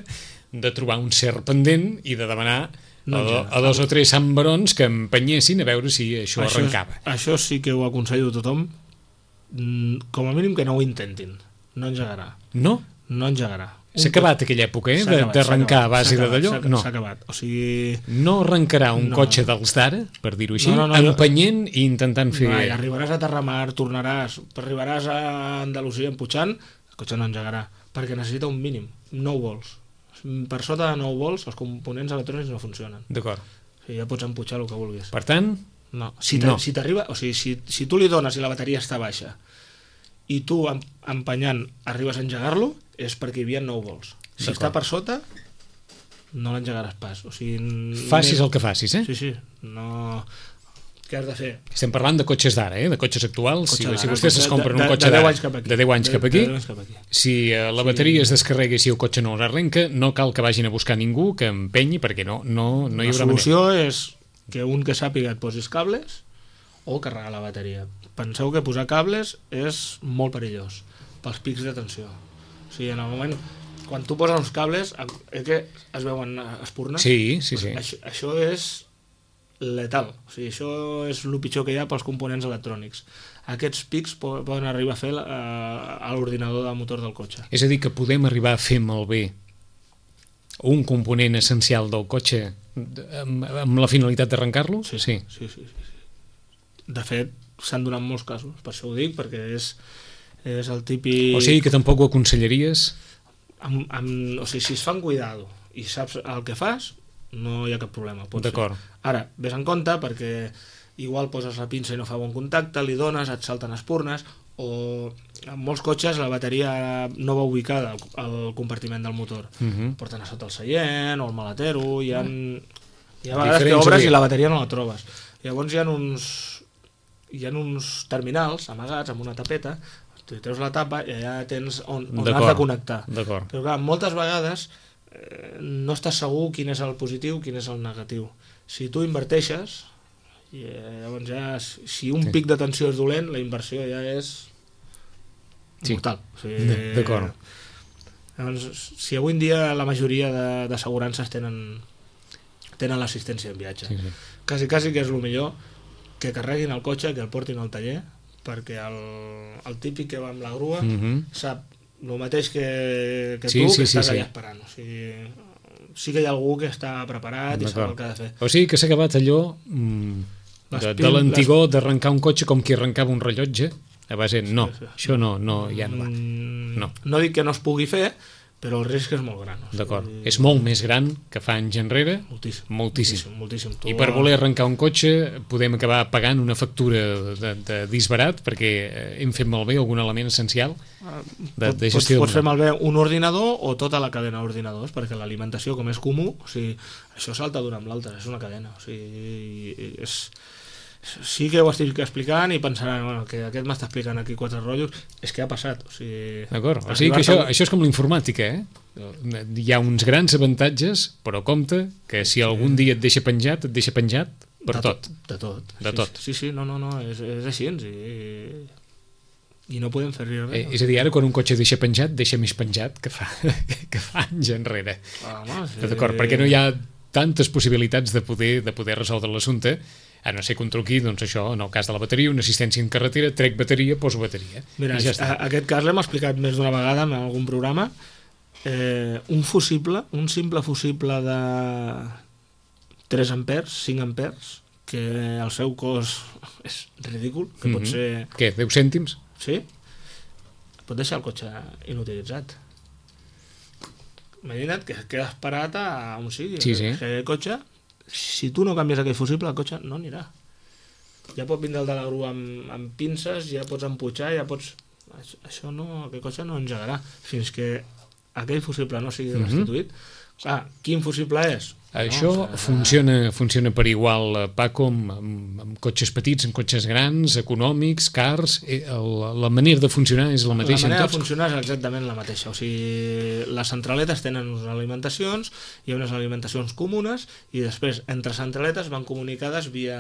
de trobar un cert pendent i de demanar no, a, do, a dos o tres Sant Barons que empenyessin a veure si això, això arrencava. És, això sí que ho aconsello a tothom, com a mínim que no ho intentin, no engegarà. No? No engegarà. S'ha acabat aquella època, eh? D'arrencar a base de d'allò? No. S'ha acabat. O sigui... No arrencarà un no. cotxe dels d'ara, per dir-ho així, no, no, no, empenyent i intentant fer... No, arribaràs a Terramar, tornaràs, arribaràs a Andalusia empujant, el cotxe no engegarà, perquè necessita un mínim, nou volts. Per sota de nou volts, els components electrònics no funcionen. D'acord. O sigui, ja pots empujar el que vulguis. Per tant... No. Si t'arriba... No. O sigui, si, si tu li dones i la bateria està baixa i tu empenyant arribes a engegar-lo, és perquè hi havia nou volts. Si està per sota, no l'engegaràs pas. O sigui, facis més... el que facis, eh? Sí, sí. No... Què has de fer? Estem parlant de cotxes d'ara, eh? De cotxes actuals. Cotxe si, si vostès es compren un cotxe d'ara de deu anys cap aquí, si uh, la bateria sí. es descarrega i si el cotxe no l'arrenca, no cal que vagin a buscar ningú que empenyi, perquè no, no, no hi haurà manera. La solució és que un que sàpiga et posis cables o carregar la bateria. Penseu que posar cables és molt perillós pels pics de tensió. O sigui, en el moment, quan tu poses uns cables, eh, que es veuen espurnes? Sí, sí, sí. Això, això és letal. O sigui, això és el pitjor que hi ha pels components electrònics. Aquests pics poden arribar a fer a l'ordinador del motor del cotxe. És a dir, que podem arribar a fer malbé un component essencial del cotxe amb, amb la finalitat d'arrencar-lo? Sí, sí, sí, sí, sí. De fet, s'han donat molts casos, per això ho dic, perquè és, és el típic... O sigui que tampoc ho aconsellaries? Amb, amb, o sigui, si es fan cuidado i saps el que fas, no hi ha cap problema. D'acord. Ara, ves en compte perquè igual poses la pinça i no fa bon contacte, li dones, et salten espurnes, o en molts cotxes la bateria no va ubicada al, al compartiment del motor. Uh-huh. Porten a sota el seient o el maletero, hi ha, hi ha vegades que obres i la bateria no la trobes. Llavors hi ha uns, hi ha uns terminals amagats amb una tapeta, tu treus la tapa i allà tens on, on has de connectar. Però clar, moltes vegades eh, no estàs segur quin és el positiu, quin és el negatiu. Si tu inverteixes, i llavors ja, si un sí. pic de tensió és dolent, la inversió ja és sí. mortal. O sigui, d'acord. Llavors, si avui en dia la majoria d'assegurances tenen tenen l'assistència en viatge, sí, sí. quasi, quasi que és el millor que carreguin el cotxe, que el portin al taller, perquè el, el típic que va amb la grua mm-hmm. sap el mateix que, que sí, tu, sí, que sí, estàs sí, allà sí. esperant. O sigui, sí que hi ha algú que està preparat i sap el que ha de fer. O sigui que s'ha acabat allò mm, de, de l'antigor les... d'arrencar un cotxe com qui arrencava un rellotge a base, no, sí, sí. això no, no ja no va. No. no dic que no es pugui fer, però el risc és molt gran. O sigui... D'acord, és molt més gran que fa anys enrere. Moltíssim. Moltíssim. moltíssim, moltíssim. I per voler arrencar un cotxe podem acabar pagant una factura de, de disbarat perquè hem fet malbé algun element essencial de, de gestió. Pots, pots fer malbé un ordinador o tota la cadena d'ordinadors, perquè l'alimentació, com és comú, o sigui, això salta d'una amb l'altra, és una cadena. O sigui, és... sí que ho estic explicant i pensaran, bueno, que aquest m'està explicant aquí quatre rotllos, és que ha passat. O sigui, d'acord, o sigui que això, això és com l'informàtica, eh? Hi ha uns grans avantatges, però compte que si algun dia et deixa penjat, et deixa penjat per de tot. De tot. De sí, tot. Sí, sí, no, no, no, és, és així, i, i no podem fer res. Eh, és a dir, ara quan un cotxe deixa penjat, deixa més penjat que fa, que fa anys enrere. Ah, home, sí. D'acord, perquè no hi ha tantes possibilitats de poder, de poder resoldre l'assumpte, a no ser que un truqui, doncs això, en el cas de la bateria, una assistència en carretera, trec bateria, poso bateria. Mira, ja a, aquest cas l'hem explicat més d'una vegada en algun programa. Eh, un fusible, un simple fusible de tres amperes, cinc amperes, que el seu cost és ridícul, que mm-hmm. pot ser... Què, deu cèntims? Sí. Pot deixar el cotxe inutilitzat. Imagina't que quedes parat a on sigui. Sí, sí. Que el cotxe... si tu no canvies aquell fusible, el cotxe no anirà. Ja pot vindre el de la grua amb, amb pinces, ja pots emputxar, ja pots... Això no, aquell cotxe no engegarà fins que aquell fusible no sigui mm-hmm. restituït. Clar, quin fusible és? Això no, funciona, funciona per igual, Paco, amb, amb, amb cotxes petits, amb cotxes grans, econòmics, cars. El, la manera de funcionar és la mateixa en tots? La manera de funcionar és exactament la mateixa. O sigui, les centraletes tenen unes alimentacions, hi ha unes alimentacions comunes, i després, entre centraletes, van comunicades via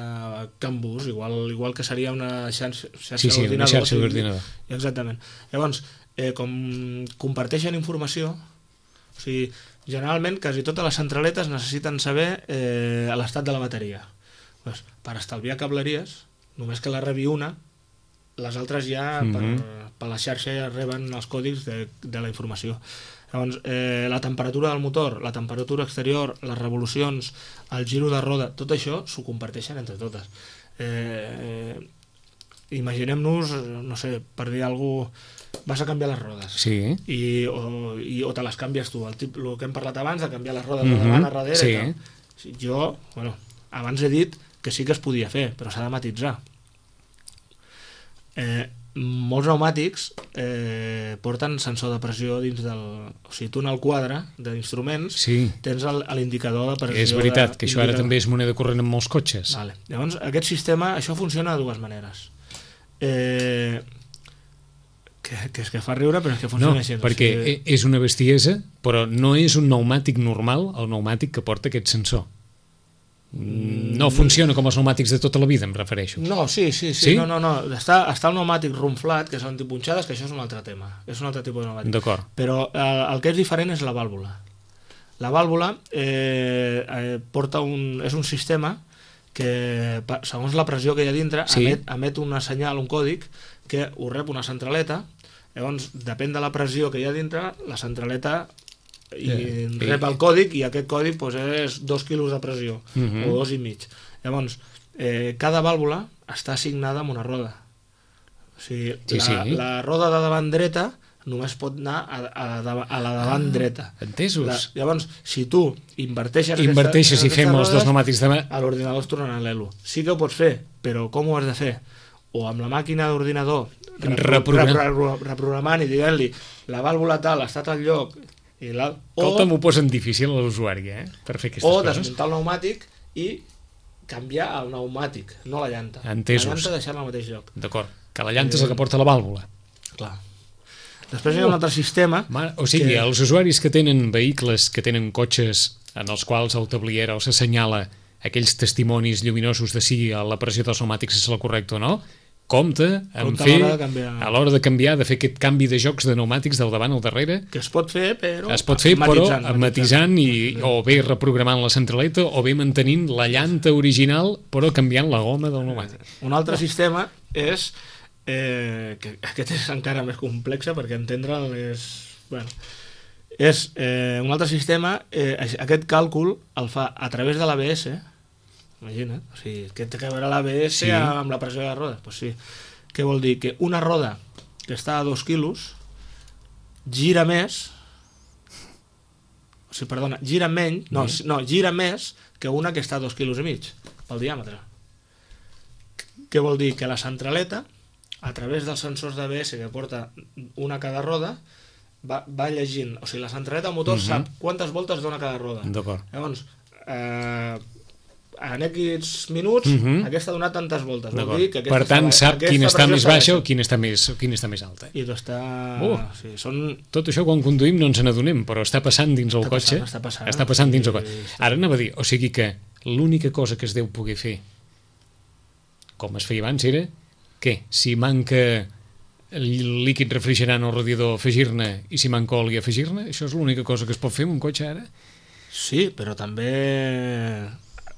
CAN-bus, igual, igual que seria una xarxa, xarxa sí, sí, d'ordinador. Una xarxa d'ordinador. Exactament. Llavors, eh, com comparteixen informació, o sigui, generalment quasi totes les centraletes necessiten saber eh, l'estat de la bateria. Pues, per estalviar cableries, només que la rebi una, les altres ja mm-hmm. per, per la xarxa ja reben els còdics de, de la informació. Llavors, eh, la temperatura del motor, la temperatura exterior, les revolucions, el giro de roda, tot això s'ho comparteixen entre totes. Eh, imaginem-nos, no sé, per dir alguna cosa, vas a canviar les rodes sí. I, o, i, o te les canvies tu, el, tip, el que hem parlat abans de canviar les rodes mm-hmm. de davant a darrere sí. i tal. Jo, bueno, abans he dit que sí que es podia fer, però s'ha de matitzar. Eh, molts pneumàtics eh, porten sensor de pressió dins del... O sigui, tu en el quadre d'instruments sí. tens l'indicador de pressió. És veritat, de, que això ara també és moneda corrent en molts cotxes. Vale. Llavors, aquest sistema, això funciona de dues maneres. Eh... Que, que és que fa riure, però és que funciona no, així. perquè o sigui... és una bestiesa, però no és un pneumàtic normal el pneumàtic que porta aquest sensor. No funciona com els pneumàtics de tota la vida, em refereixo. No, sí, sí, sí, sí? no, no, no. Està, està el pneumàtic rumflat, que són antipunxades, que això és un altre tema. És un altre tipus de pneumàtic. D'acord. Però el, el que és diferent és la vàlvula. La vàlvula eh, eh, porta un... és un sistema que, segons la pressió que hi ha dintre, sí. emet, emet una senyal, un còdic, que ho rep una centraleta. Llavors, depèn de la pressió que hi ha dintre, la centraleta i yeah. rep el còdic, i aquest còdic doncs, és dos quilos de pressió, uh-huh. o dos i mig. Llavors, eh, cada vàlvula està assignada amb una roda. O sigui, sí, la, sí. la roda de davant dreta només pot anar a, a, la, a la davant ah, dreta. Entesos. La, llavors, si tu inverteixes... Inverteixes aquesta, i fem els dos pneumàtics de... A l'ordinador es tornarà l'Elo. Sí que ho pots fer, però com ho has de fer? O amb la màquina d'ordinador, Reprogram... reprogramant i dient-li la vàlvula tal està al lloc... I la... Escolta, m'ho posen difícil a l'usuari, eh? Per fer aquestes o coses. O desmuntar el pneumàtic i canviar el pneumàtic, no la llanta. Entesos. La llanta deixar-la al mateix lloc. D'acord, que la llanta és el que porta la vàlvula. Clar. Després hi ha un altre sistema... Ma... O sigui, que... els usuaris que tenen vehicles, que tenen cotxes en els quals el tablier els assenyala aquells testimonis lluminosos de si la pressió dels pneumàtics és la correcta o no, compte en compte fer, a l'hora de canviar, de fer aquest canvi de jocs de pneumàtics del davant al darrere. Que es pot fer, però... Es pot fer, però matisant, i, o bé reprogramant la centraleta, o bé mantenint la llanta original, però canviant la goma del pneumàtic. Un altre sistema és... Eh, que aquest és encara més complex, perquè entendre'l és... Bueno, és eh, un altre sistema, eh, aquest càlcul el fa a través de l'A B S. Imagina't, o sigui, que té que veure l'A B S sí. amb la pressió de la roda. Pues sí. Què vol dir? Que una roda que està a dos quilos gira més, o sigui, perdona, gira menys, no, sí. no, gira més que una que està a dos quilos i mig, pel diàmetre. Què vol dir? Que la centraleta, a través dels sensors d'A B S que porta una a cada roda, va, va llegint, o sigui, la centraleta del motor uh -huh. sap quantes voltes dona cada roda. D'acord. Llavors, eh, en aquests minuts uh -huh. aquesta ha donat tantes voltes. Vol dir que per tant, sap quina està més baixa o quina està més, quina està més alta. I està... Uh, sí, són... Tot això quan conduïm no ens n'adonem, però està passant dins el està cotxe. Passant, està passant. Està passant dins el cotxe. Sí, sí. Ara anava a dir, o sigui que l'única cosa que es deu poder fer, com es feia abans, era què? Si manca el líquid refrigerant al radiador, afegir-ne, i si manca oli, afegir-ne? Això és l'única cosa que es pot fer amb un cotxe ara? Sí, però també...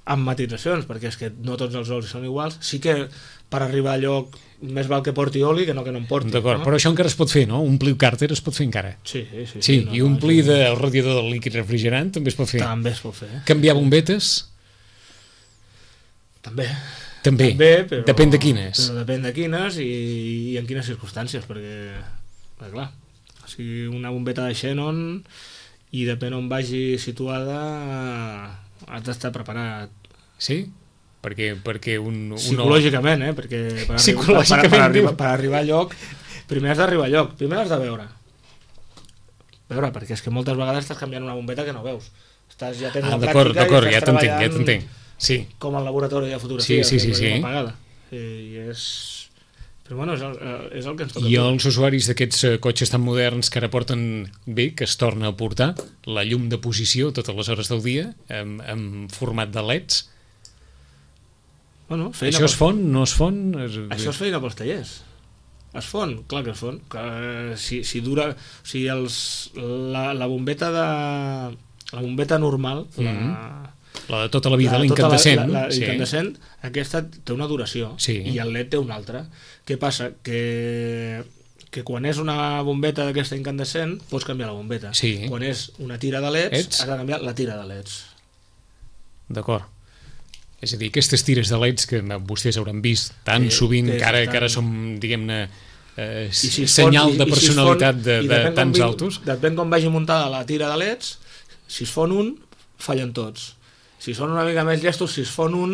amb matitzacions, perquè és que no tots els olis són iguals. Sí que per arribar a lloc més val que porti oli que no que no en porti. D'acord, no? Però això encara es pot fer, no? Omplir càrter es pot fer encara. Sí, sí. Sí, sí no, i omplir no, del radiador del líquid refrigerant també es pot fer. També es pot fer. Canviar bombetes? També. També, També però, depèn de quines. Però depèn de quines i, i en quines circumstàncies, perquè, perquè clar, o sigui, una bombeta de xenon i depèn on vagi situada has d'estar preparat. Sí? Perquè, perquè un... un Psicològicament, eh? Perquè per, Psicològicament, per, per, arribar, per arribar a lloc, primer has d'arribar a lloc, primer has de veure. Veure, perquè és que moltes vegades estàs canviant una bombeta que no veus. Estàs, ja tens ah, la d'acord, pràctica d'acord, i estàs ja t'entenc, treballant ja t'entenc. Sí. Com al laboratori de fotografia. Sí, sí, sí. sí. Apagada. I és... Però bueno, és el, és el que ens toca. I els usuaris d'aquests cotxes tan moderns que ara porten bé, que es torna a portar la llum de posició totes les hores del dia en, en format de leds. Bueno, això es fon? No es fon? Això es feina pels tallers. Es fon? Clar que es fon. Que, si, si dura... O sigui, els, la, la bombeta de... La bombeta normal, mm-hmm. la... La de tota la vida, la, l'incandescent. La, la, la sí. incandescent, aquesta té una duració sí. i el led té una altra. Què passa? Que, que quan és una bombeta d'aquesta incandescent pots canviar la bombeta. Sí. Quan és una tira de leds, Ets? has de canviar la tira de leds. D'acord. És a dir, aquestes tires de leds que vostès hauran vist tan que, sovint, que, que ara, tan... que ara som, diguem-ne, eh, si senyal fon, de personalitat si fon, de, de tants vi, altos. Depèn com vagi muntada la tira de leds, si es fon un, fallen tots. Si són una mica més llestos, si es fon un,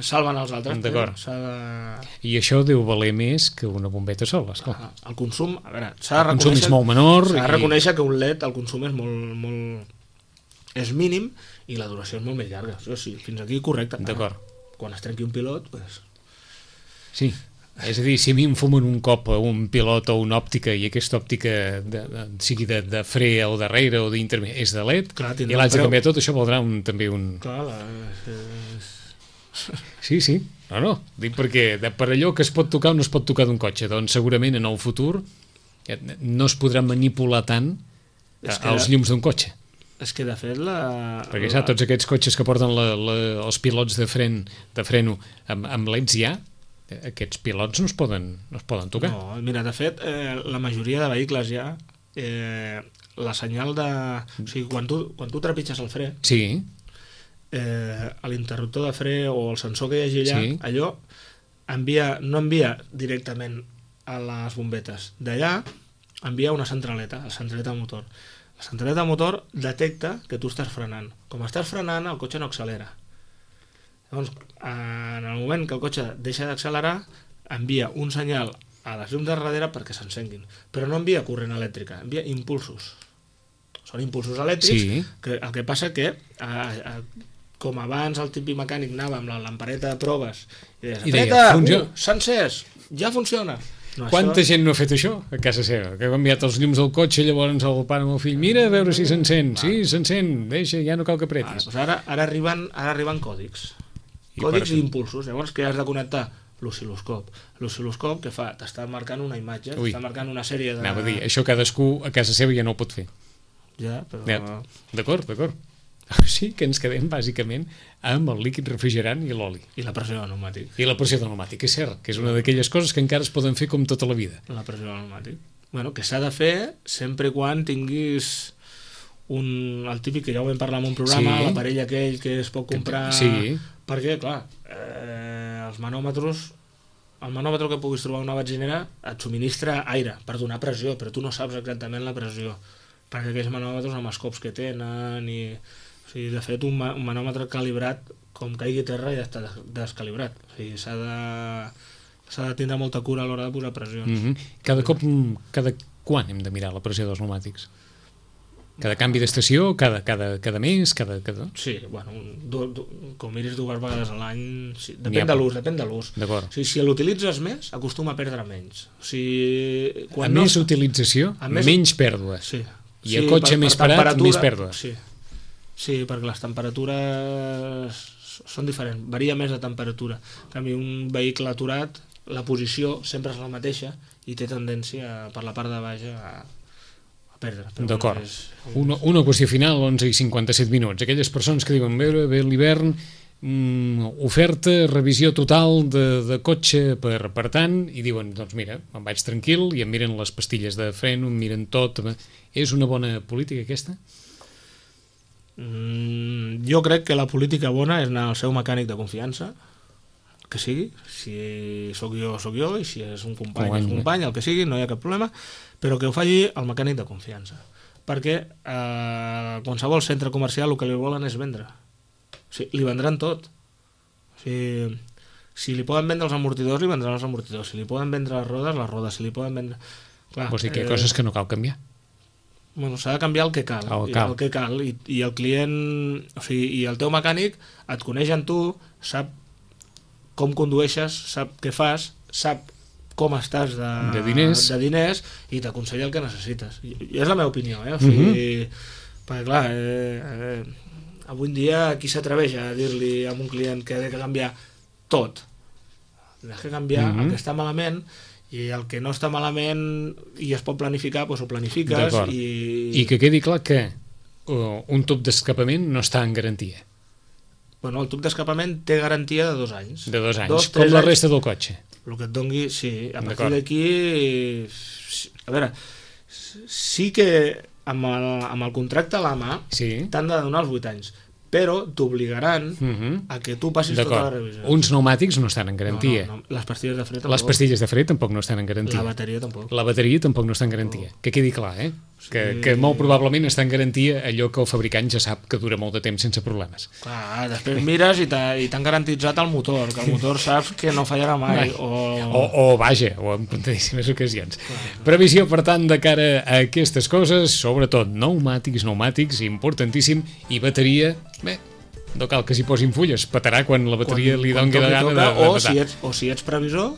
salven els altres. D'acord. De... I això deu valer més que una bombeta sola, esclar. El consum, a veure, s'ha de reconèixer... El consum és molt menor. S'ha de i... reconèixer que un led, el consum és molt, molt... és mínim i la duració és molt més llarga. Això sí, fins aquí correcte. D'acord. Quan es trenqui un pilot, doncs... Sí. És a dir, si a mi em fumen un cop un pilot o una òptica i aquesta òptica de, de, sigui de, de fre o darrere o d'intermedi és de led, clar, i l'haig de canviar tot, això valdrà un, també un... Clar, la... és... Sí, sí, no, no, dic perquè de, per allò que es pot tocar o no es pot tocar d'un cotxe, doncs segurament en el futur no es podrà manipular tant a, els llums d'un cotxe. És que de fet la... Perquè la... saps, tots aquests cotxes que porten la, la, els pilots de, fren, de freno amb, amb leds ja, aquests pilots no es poden, no es poden tocar. No, mira, de fet, eh, la majoria de vehicles ja, eh, la senyal de... O sigui, quan tu, quan tu trepitges el fre, sí. eh, l'interruptor de fre o el sensor que hi hagi allà, sí. allò envia, no envia directament a les bombetes. D'allà, envia una centraleta, la centraleta de motor. La centraleta de motor detecta que tu estàs frenant. Com estàs frenant, el cotxe no accelera. Llavors, en el moment que el cotxe deixa d'accelerar, envia un senyal a les llums de darrere perquè s'encenguin. Però no envia corrent elèctrica, envia impulsos. Són impulsos elèctrics, sí. que el que passa que, a, a, com abans el típic mecànic anava amb la lampareta de proves i deies, apreta, uh, s'ha encès, ja funciona. No, Quanta això... gent no ha fet això a casa seva? Que ha canviat els llums del cotxe, llavors el pare amb el fill, mira a veure si s'encén, sí, s'encén, deixa, ja no cal que apretis. Ah, doncs ara, ara, arriben, ara arriben còdics, I còdics i impulsos, llavors que has de connectar l'oscil·loscop. L'oscil·loscop que fa? T'està marcant una imatge, t'està marcant una sèrie de... Anava a dir, això cadascú a casa seva ja no ho pot fer. Ja, però... Ja. D'acord, d'acord. Sí que ens quedem bàsicament amb el líquid refrigerant i l'oli. I la pressió del pneumàtic. I la pressió del pneumàtic, és cert, que és una d'aquelles coses que encara es poden fer com tota la vida. La pressió del pneumàtic. Bueno, que s'ha de fer sempre quan tinguis un, el típic que ja ho vam parlar en un programa, sí. L'aparell aquell que es pot comprar... Sí. Perquè, clar, eh, els manòmetres... El manòmetre que puguis trobar a una benzinera et subministra aire per donar pressió, però tu no saps exactament la pressió. Perquè aquells manòmetres amb els cops que tenen i... O sigui, de fet, un, ma un manòmetre calibrat, com caigui a terra, ja està descalibrat. O sigui, s'ha de, s'ha de tindre molta cura a l'hora de posar pressions. Mm-hmm. Cada cop, cada quan hem de mirar la pressió dels pneumàtics? Cada canvi d'estació? Cada, cada, cada mes? Cada, cada... Sí, bueno, du, du, com miris dues vegades a l'any, sí, depèn de l'ús, depèn de l'ús. O sigui, si l'utilitzes més, acostuma a perdre menys. O sigui, quan a no... més utilització, més... menys pèrdues. Sí. I el sí, cotxe per, més per parat, més pèrdues. Sí. Sí, perquè les temperatures són diferents, varia més de temperatura. En canvi, un vehicle aturat, la posició sempre és la mateixa i té tendència per la part de baix a, a perdre. D'acord. És... Una, una qüestió final, onze i cinquanta-set minuts. Aquelles persones que diuen, bé, bé l'hivern, mm, oferta, revisió total de, de cotxe per, per tant, i diuen, doncs mira, me'n vaig tranquil, i em miren les pastilles de freno, em miren tot. És una bona política aquesta? Mm, jo crec que la política bona és anar al seu mecànic de confiança, que sigui, si sóc jo, sóc jo, i si és un company, és un company, el que sigui, no hi ha cap problema, però que ho faci el mecànic de confiança, perquè eh, qualsevol centre comercial el que li volen és vendre. O sigui, li vendran tot. O sigui, si li poden vendre els amortidors, li vendran els amortidors, si li poden vendre les rodes, les rodes, si li poden vendre... Clar, Vols dir que hi ha coses que no cal canviar? Bueno, s'ha de canviar el que cal, el, cal. el que cal i, i el client, o sigui, i el teu mecànic et coneix en tu, sap com condueixes, sap què fas, sap com estàs de, de diners, de diners i t'aconsella el que necessites. I, i és la meva opinió, eh? O sigui, uh-huh. perquè clar, eh, eh, avui en dia qui s'atreveix a dir-li a un client que ha de canviar tot? Has de canviar uh-huh. el que està malament, i el que no està malament i es pot planificar, doncs ho planifiques. I... I que quedi clar que uh, un tub d'escapament no està en garantia. Bueno, el tub d'escapament té garantia de dos anys. De dos anys, dos, com la resta anys, del cotxe. El que et dongui, sí. A partir d'aquí, a veure, sí que amb el, amb el contracte a la mà sí. t'han de donar els vuit anys, però t'obligaran uh-huh. a que tu passis tota la revisió. Uns pneumàtics no estan en garantia. No, no, no. Les pastilles de fre tampoc. Les pastilles de fre tampoc no estan en garantia. La bateria tampoc. La bateria tampoc no està en garantia. Oh. Que quedi clar, eh? Sí. Que, que molt probablement està en garantia allò que el fabricant ja sap que dura molt de temps sense problemes. Clar, després mires i t'han garantitzat el motor, que el motor saps que no fallarà mai. O, o, o vaja, o en tantíssimes ocasions. Clar. Previsió, per tant, de cara a aquestes coses, sobretot pneumàtics, pneumàtics, importantíssim, i bateria... Bé, no cal que s'hi posin fulles, petarà quan la bateria quan, li doni la gana de, de o si ets, o si ets previsor,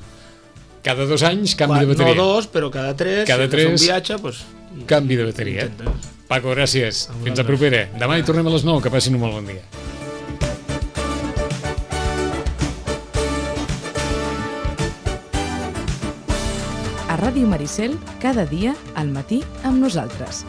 cada dos anys canvi quan, de bateria. No dos, però cada tres, cada si tres un viatge, doncs, canvi de bateria. Intentes. Paco, gràcies. A Fins a propera. Demà hi tornem a les nou. Que passin un molt bon dia. A Ràdio Maricel, cada dia, al matí, amb nosaltres.